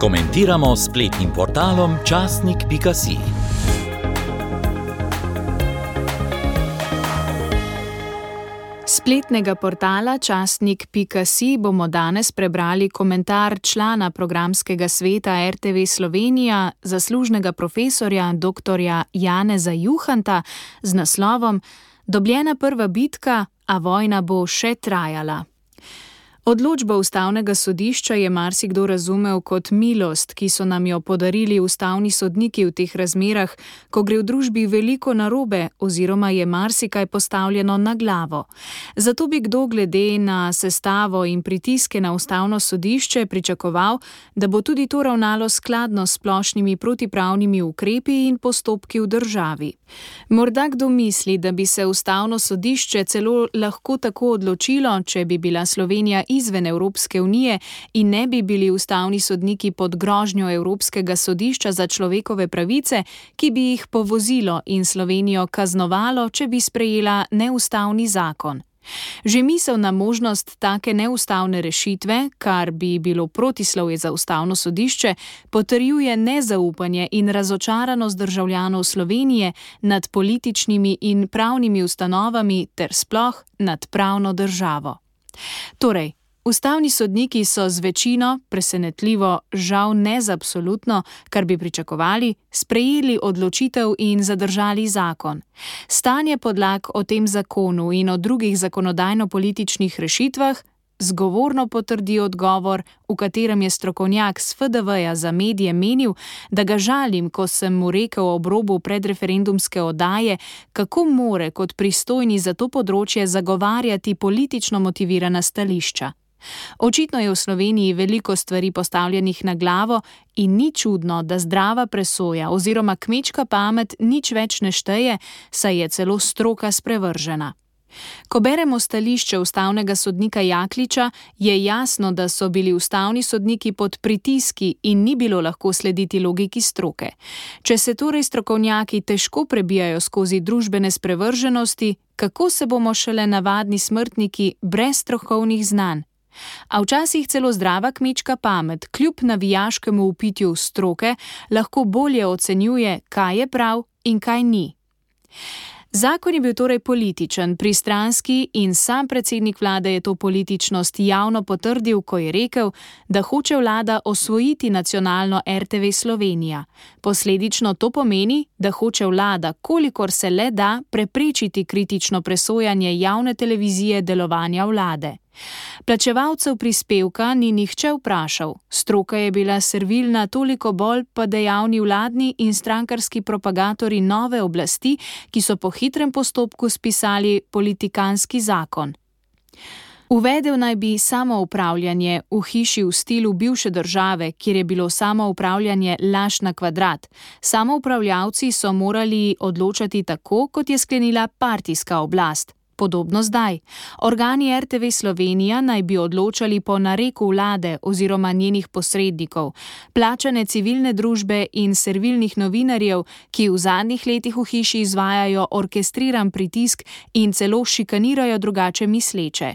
Komentiramo s spletnim portalom časnik.si. Spletnega portala časnik.si bomo danes prebrali komentar člana programskega sveta RTV Slovenija, zaslužnega profesorja dr. Janeza Juhanta z naslovom Dobljena prva bitka, a vojna bo še trajala. Odločbo ustavnega sodišča je marsikdo razumel kot milost, ki so nam jo podarili ustavni sodniki v teh razmerah, ko gre v družbi veliko narobe oziroma je marsikaj postavljeno na glavo. Zato bi kdo glede na sestavo in pritiske na ustavno sodišče pričakoval, da bo tudi to ravnalo skladno s splošnimi protipravnimi ukrepi in postopki v državi. Morda kdo misli, da bi se ustavno sodišče celo lahko tako odločilo, če bi bila Slovenija izven Evropske unije in ne bi bili ustavni sodniki pod grožnjo Evropskega sodišča za človekove pravice, ki bi jih povozilo in Slovenijo kaznovalo, če bi sprejela neustavni zakon. Že misel na možnost take neustavne rešitve, kar bi bilo protislovje za ustavno sodišče, potrjuje nezaupanje in razočaranost državljanov Slovenije nad političnimi in pravnimi ustanovami ter sploh nad pravno državo. Torej, ustavni sodniki so z večino, presenetljivo, žal ne z absolutno, kar bi pričakovali, sprejeli odločitev in zadržali zakon. Stanje podlag o tem zakonu in o drugih zakonodajno-političnih rešitvah zgovorno potrdi odgovor, v katerem je strokovnjak s FDV-ja za medije menil, da ga žalim, ko sem mu rekel ob robu predreferendumske oddaje, kako more kot pristojni za to področje zagovarjati politično motivirana stališča. Očitno je v Sloveniji veliko stvari postavljenih na glavo in ni čudno, da zdrava presoja oziroma kmečka pamet nič več ne šteje, saj je celo stroka sprevržena. Ko beremo stališče ustavnega sodnika Jakliča, je jasno, da so bili ustavni sodniki pod pritiski in ni bilo lahko slediti logiki stroke. Če se torej strokovnjaki težko prebijajo skozi družbene sprevrženosti, kako se bomo šele navadni smrtniki brez strokovnih znanj? A včasih celo zdrava kmečka pamet, kljub navijaškemu vpitju stroke, lahko bolje ocenjuje, kaj je prav in kaj ni. Zakon je bil torej političen, pristranski in sam predsednik vlade je to političnost javno potrdil, ko je rekel, da hoče vlada osvojiti nacionalno RTV Slovenija. Posledično to pomeni, da hoče vlada, kolikor se le da, preprečiti kritično presojanje javne televizije delovanja vlade. Plačevalcev prispevka ni nihče vprašal, stroka je bila servilna toliko bolj pa dejavni vladni in strankarski propagatorji nove oblasti, ki so po hitrem postopku spisali politikanski zakon. Uvedel naj bi samoupravljanje v hiši v stilu bivše države, kjer je bilo samoupravljanje laž na kvadrat. Samoupravljavci so morali odločati tako, kot je sklenila partijska oblast. Podobno zdaj. Organi RTV Slovenija naj bi odločali po nareku vlade oziroma njenih posrednikov, plačane civilne družbe in servilnih novinarjev, ki v zadnjih letih v hiši izvajajo orkestriran pritisk in celo šikanirajo drugače misleče.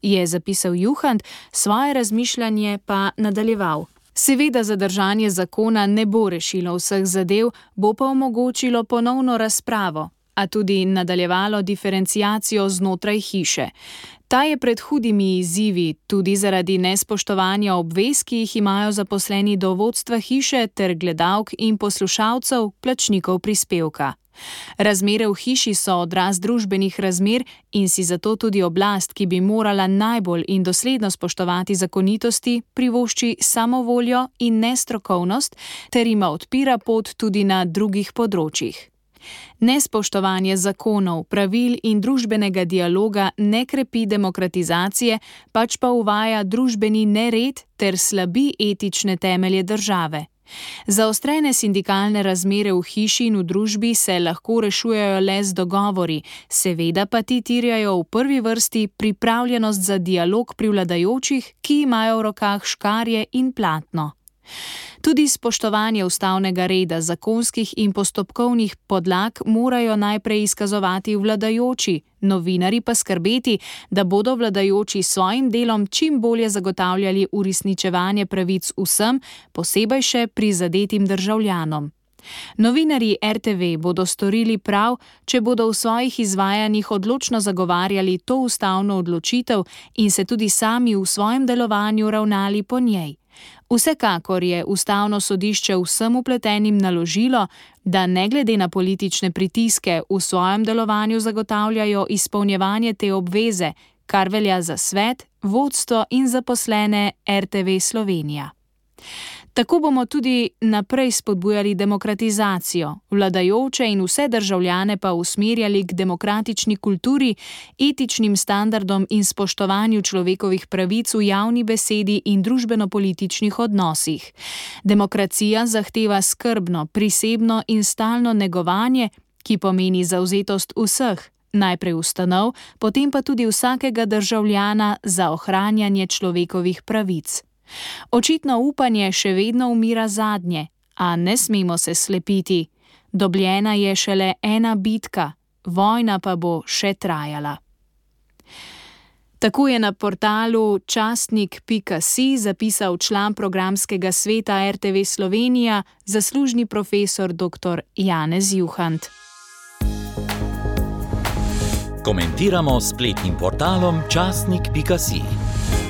Je zapisal Juhant, svoje razmišljanje pa nadaljeval. Seveda zadržanje zakona ne bo rešilo vseh zadev, bo pa omogočilo ponovno razpravo, a tudi nadaljevalo diferenciacijo znotraj hiše. Ta je pred hudimi izzivi, tudi zaradi nespoštovanja obvez, ki jih imajo zaposleni do vodstva hiše ter gledalk in poslušalcev, plačnikov prispevka. Razmere v hiši so odraz družbenih razmer in si zato tudi oblast, ki bi morala najbolj in dosledno spoštovati zakonitosti, privošči samovoljo in nestrokovnost ter ima odpira pot tudi na drugih področjih. Nespoštovanje zakonov, pravil in družbenega dialoga ne krepi demokratizacije, pač pa uvaja družbeni nered ter slabi etične temelje države. Zaostrene sindikalne razmere v hiši in v družbi se lahko rešujejo le z dogovori, seveda pa ti terjajo v prvi vrsti pripravljenost za dialog pri vladajočih, ki imajo v rokah škarje in platno. Tudi spoštovanje ustavnega reda, zakonskih in postopkovnih podlag morajo najprej izkazovati vladajoči, novinarji pa skrbeti, da bodo vladajoči s svojim delom čim bolje zagotavljali uresničevanje pravic vsem, posebej še prizadetim državljanom. Novinarji RTV bodo storili prav, če bodo v svojih izvajanjih odločno zagovarjali to ustavno odločitev in se tudi sami v svojem delovanju ravnali po njej. Vsekakor je ustavno sodišče vsem vpletenim naložilo, da ne glede na politične pritiske v svojem delovanju zagotavljajo izpolnjevanje te obveze, kar velja za svet, vodstvo in zaposlene RTV Slovenija. Tako bomo tudi naprej spodbujali demokratizacijo, vladajoče in vse državljane pa usmerjali k demokratični kulturi, etičnim standardom in spoštovanju človekovih pravic v javni besedi in družbeno-političnih odnosih. Demokracija zahteva skrbno, prisebno in stalno negovanje, ki pomeni zavzetost vseh, najprej ustanov, potem pa tudi vsakega državljana za ohranjanje človekovih pravic. Očitno upanje še vedno umira zadnje, a ne smemo se slepiti. Dobljena je šele ena bitka, vojna pa bo še trajala. Tako je na portalu časnik.si zapisal član programskega sveta RTV Slovenija, zaslužni profesor dr. Janez Juhant. Komentiramo s spletnim portalom časnik.si.